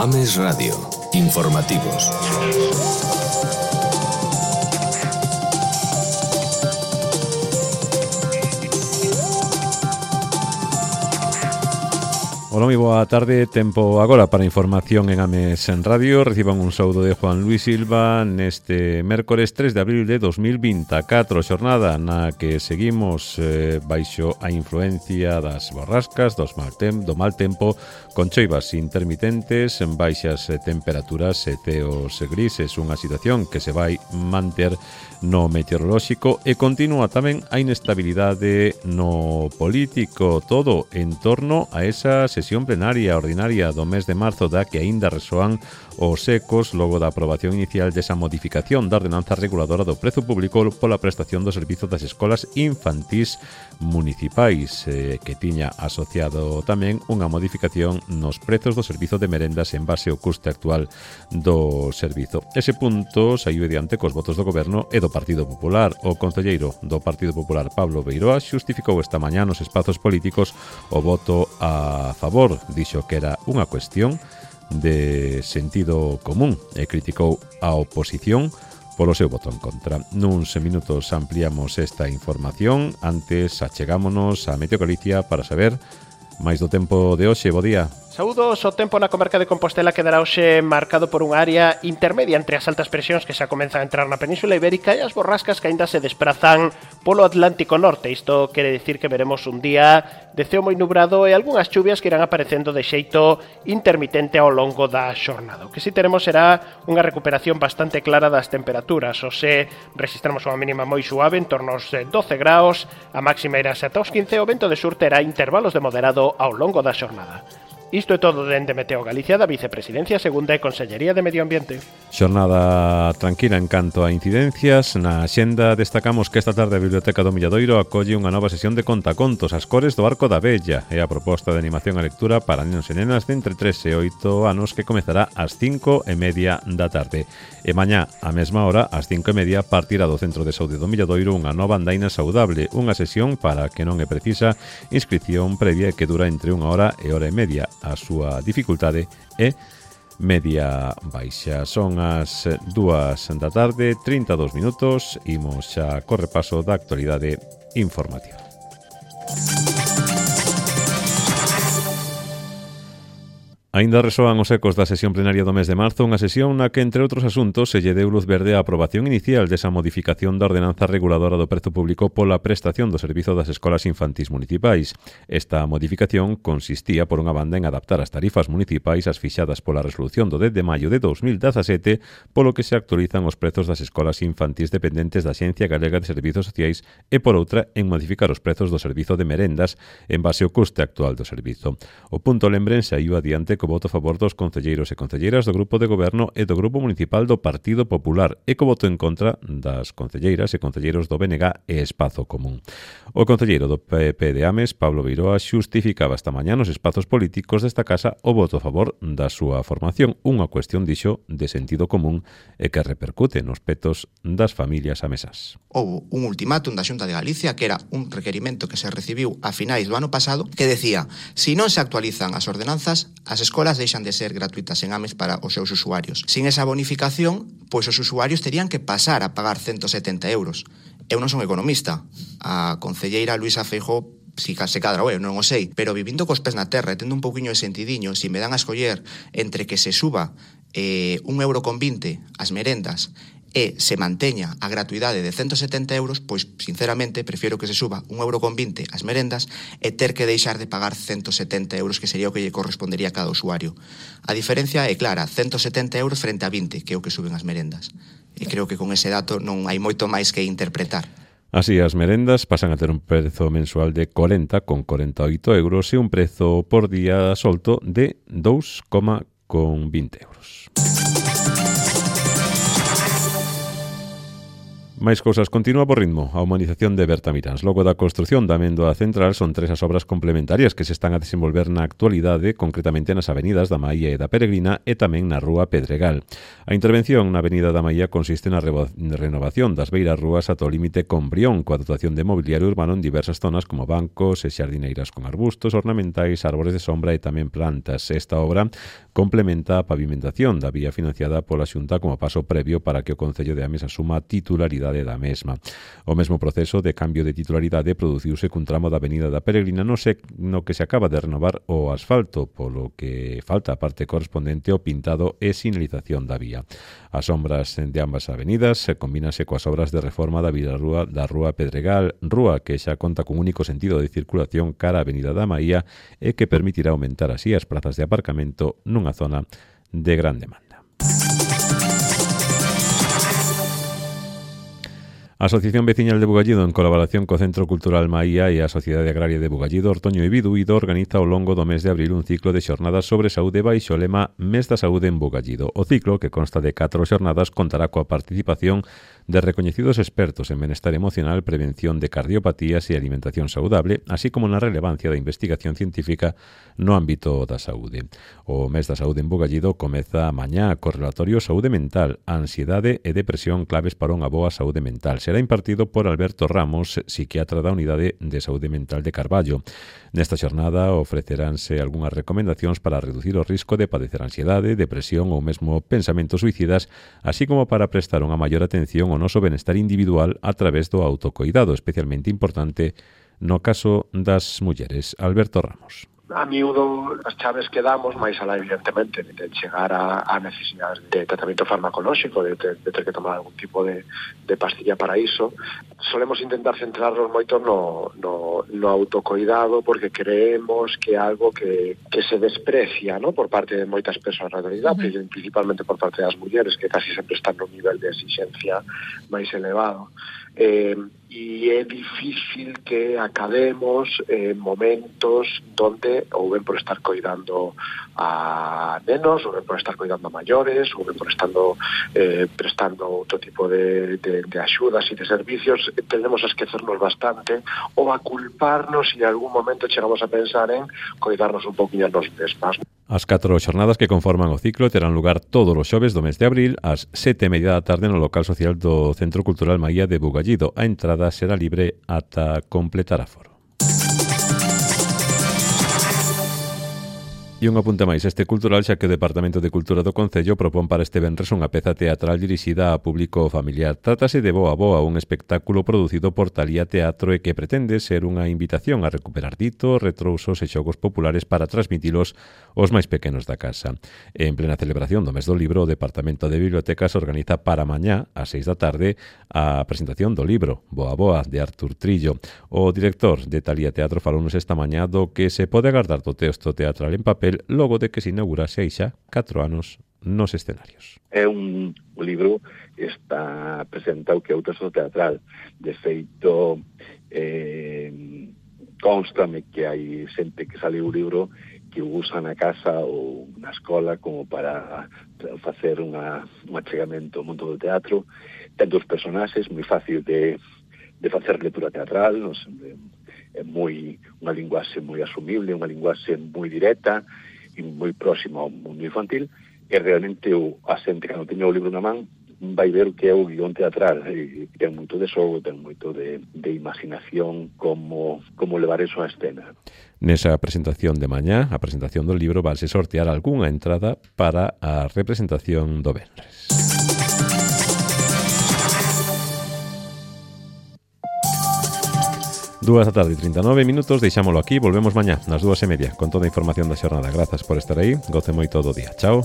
Ames Radio. Informativos. Ola, moi boa tarde, tempo agora para información en Ames en Radio. Reciban un saúdo de Juan Luis Silva neste mércores 3 de abril de 2024, xornada na que seguimos baixo a influencia das borrascas, do mal tempo, con choivas intermitentes, en baixas temperaturas e teos grises, unha situación que se vai manter no meteorolóxico, e continúa tamén a inestabilidade no político, todo en torno a esa sesión plenaria ordinaria do mes de marzo da que aínda resoan os ecos logo da aprobación inicial desa modificación da ordenanza reguladora do prezo público pola prestación do servizo das escolas infantís municipais, que tiña asociado tamén unha modificación nos prezos do servizo de merendas en base ao custe actual do servizo. Ese punto saiu adiante cos votos do Goberno e do Partido Popular. O concelleiro do Partido Popular, Pablo Beiroa, xustificou esta mañá nos espazos políticos o voto a favor. Dixo que era unha cuestión de sentido común e criticou a oposición polo seu voto en contra. Nuns minutos ampliamos esta información. Antes achegámonos a Meteo Galicia para saber máis do tempo de hoxe. Bo día. Saúdos, o tempo na comarca de Compostela quedará hoxe marcado por unha área intermedia entre as altas presións que xa comenzan a entrar na Península Ibérica e as borrascas que aínda se desprazan polo Atlántico Norte. Isto quere dicir que veremos un día de ceo moi nubrado e algunhas chuvias que irán aparecendo de xeito intermitente ao longo da xornada. O que si teremos será unha recuperación bastante clara das temperaturas. Hoxe registramos unha mínima moi suave en torno aos 12 graus, a máxima irá ata os 15 e o vento de sur terá intervalos de moderado ao longo da xornada. Isto é todo dende Meteo Galicia, da Vicepresidencia Segunda e Consellería de Medio Ambiente. Xornada tranquila en canto a incidencias. Na xenda destacamos que esta tarde a Biblioteca do Milladoiro acolle unha nova sesión de contacontos, As cores do Arco da Vella, e a proposta de animación a lectura para nenos e nenas de entre 3 e 8 anos que comezará ás 5:30 da tarde. E mañá, á mesma hora, ás 5:30, partirá do Centro de Saúde do Milladoiro unha nova andaina saudable, unha sesión para que non é precisa inscripción previa e que dura entre 1 hora e hora e media. A súa dificultade é media baixa. Son as 2 da tarde, 32 minutos. Imos xa co repaso da actualidade informativa. Aínda resoan os ecos da sesión plenaria do mes de marzo, unha sesión na que, entre outros asuntos, se lle deu luz verde á aprobación inicial desa modificación da ordenanza reguladora do prezo público pola prestación do servizo das escolas infantís municipais. Esta modificación consistía, por unha banda, en adaptar as tarifas municipais ás fixadas pola resolución do 10 de maio de 2017, polo que se actualizan os prezos das escolas infantís dependentes da Axencia Galega de Servizos Sociais, e, por outra, en modificar os prezos do servizo de merendas en base ao custe actual do servizo. O punto lembren saiu adiante co voto a favor dos concelleiros e concelleiras do Grupo de Goberno e do Grupo Municipal do Partido Popular, e co voto en contra das concelleiras e concelleiros do BNG e Espazo Común. O concelleiro do PP de Ames, Pablo Beiroa, xustificaba esta mañá nos espazos políticos desta casa o voto a favor da súa formación, unha cuestión, dixo, de sentido común e que repercute nos petos das familias amesas. Houbo un ultimátum da Xunta de Galicia, que era un requerimento que se recibiu a finais do ano pasado, que decía: si non se actualizan as ordenanzas, as escolas deixan de ser gratuitas en Ames para os seus usuarios. Sin esa bonificación, pois os usuarios terían que pasar a pagar 170 euros. Eu non son economista. A concelleira Luisa Feijóo si se cadra, eu non o sei, pero vivindo cos pés na terra e tendo un pouquiño de sentidiño, si me dan a escoller entre que se suba 1,20 € as merendas e se manteña a gratuidade de 170 euros, pois, sinceramente, prefiro que se suba 1,20 € as merendas e ter que deixar de pagar 170 euros, que sería o que lle correspondería a cada usuario. A diferencia é clara, 170 euros frente a 20, que é o que suben as merendas. E creo que con ese dato non hai moito máis que interpretar. Así, as merendas pasan a ter un prezo mensual de 40,48 euros e un prezo por día solto de 2,20 euros. Máis cousas, continúa por ritmo a humanización de Bertamiráns. Logo da construción da Amendoa Central son 3 as obras complementarias que se están a desenvolver na actualidade, concretamente nas avenidas da Maía e da Peregrina e tamén na Rúa Pedregal. A intervención na avenida da Maía consiste na renovación das beiras rúas ata o límite con Brión, coa dotación de mobiliario urbano en diversas zonas como bancos e xardineiras con arbustos ornamentais, árbores de sombra e tamén plantas. Esta obra complementa a pavimentación da vía financiada pola Xunta como paso previo para que o Concello de Ames asuma titularidade da mesma. O mesmo proceso de cambio de titularidade produciuse cun tramo da avenida da Peregrina no que se acaba de renovar o asfalto, polo que falta a parte correspondente ao pintado e sinalización da vía. As obras de ambas avenidas combínanse coas obras de reforma da Rúa Pedregal, rúa que xa conta cun único sentido de circulación cara á avenida da Maía e que permitirá aumentar así as prazas de aparcamento nunha zona de gran demanda. A Asociación Veciñal de Bugallido, en colaboración co Centro Cultural Maía e a Sociedade Agraria de Bugallido, Ortoño e Biduído, organiza ao longo do mes de abril un ciclo de xornadas sobre saúde baixo o lema Mes da Saúde en Bugallido. O ciclo, que consta de 4 xornadas, contará coa participación de recoñecidos expertos en benestar emocional, prevención de cardiopatías e alimentación saudable, así como na relevancia da investigación científica no ámbito da saúde. O Mes da Saúde en Bugallido comeza mañá co relatorio Saúde Mental, Ansiedade e Depresión, claves para unha boa saúde mental. Será impartido por Alberto Ramos, psiquiatra da Unidade de Saúde Mental de Carballo. Nesta xornada ofreceránse algunhas recomendacións para reducir o risco de padecer ansiedade, depresión ou mesmo pensamentos suicidas, así como para prestar unha maior atención ao noso benestar individual a través do autocoidado, especialmente importante no caso das mulleres. Alberto Ramos. A miúdo as chaves que damos, máis alá evidentemente de chegar a necesidades de tratamento farmacolóxico, de ter que tomar algún tipo de pastilla para iso, solemos intentar centrarnos moito no autocoidado, porque creemos que é algo que se desprecia, ¿no?, por parte de moitas persoas na realidade, principalmente por parte das mulleres, que casi sempre están nun nivel de exigencia máis elevado. E é difícil que acabemos momentos donde ou ben por estar coidando a nenos, ou ben por estar coidando a maiores, ou ben por estando prestando outro tipo de axudas e de servicios, tendemos a esquecernos bastante ou a culparnos e en algún momento chegamos a pensar en coidarnos un poquinho nos mesmas. As 4 xornadas que conforman o ciclo terán lugar todos os xoves do mes de abril ás 7:30 da tarde no local social do Centro Cultural Maía de Bugallido. A entrada será libre ata completar aforo. E un apunte máis, este cultural, xa que o Departamento de Cultura do Concello propón para este venres unha peza teatral dirixida a público familiar. Trátase de Boa Boa, un espectáculo producido por Talía Teatro e que pretende ser unha invitación a recuperar ditos, retrousos e xogos populares para transmitilos aos máis pequenos da casa. En plena celebración do mes do libro, o Departamento de Bibliotecas organiza para mañá, ás 6 da tarde, a presentación do libro Boa Boa, de Artur Trillo. O director de Talía Teatro falounos esta mañá do que se pode agardar do texto teatral en papel logo de que se inaugurase aí xa 4 anos nos escenarios. É un libro que está presentado que é o texto teatral. De feito, constame que hai xente que sale o libro que o usa na casa ou na escola como para facer un achegamento ao mundo do teatro. Ten dos personaxes, moi fácil de facer lectura teatral, non sei, é unha linguaxe moi asumible, unha linguaxe moi directa e moi próxima ao mundo infantil, e realmente a xente que non teña o libro na man vai ver o que é o guión teatral, e ten moito de xogo, ten moito de imaginación como levar eso á escena. Nesa presentación de mañá, a presentación do libro, valse sortear algunha entrada para a representación do venres. 2:39, deixámolo aquí, volvemos mañá nas 2:30 con toda a información da xornada. Grazas por estar aí, goce moito do día. Chao.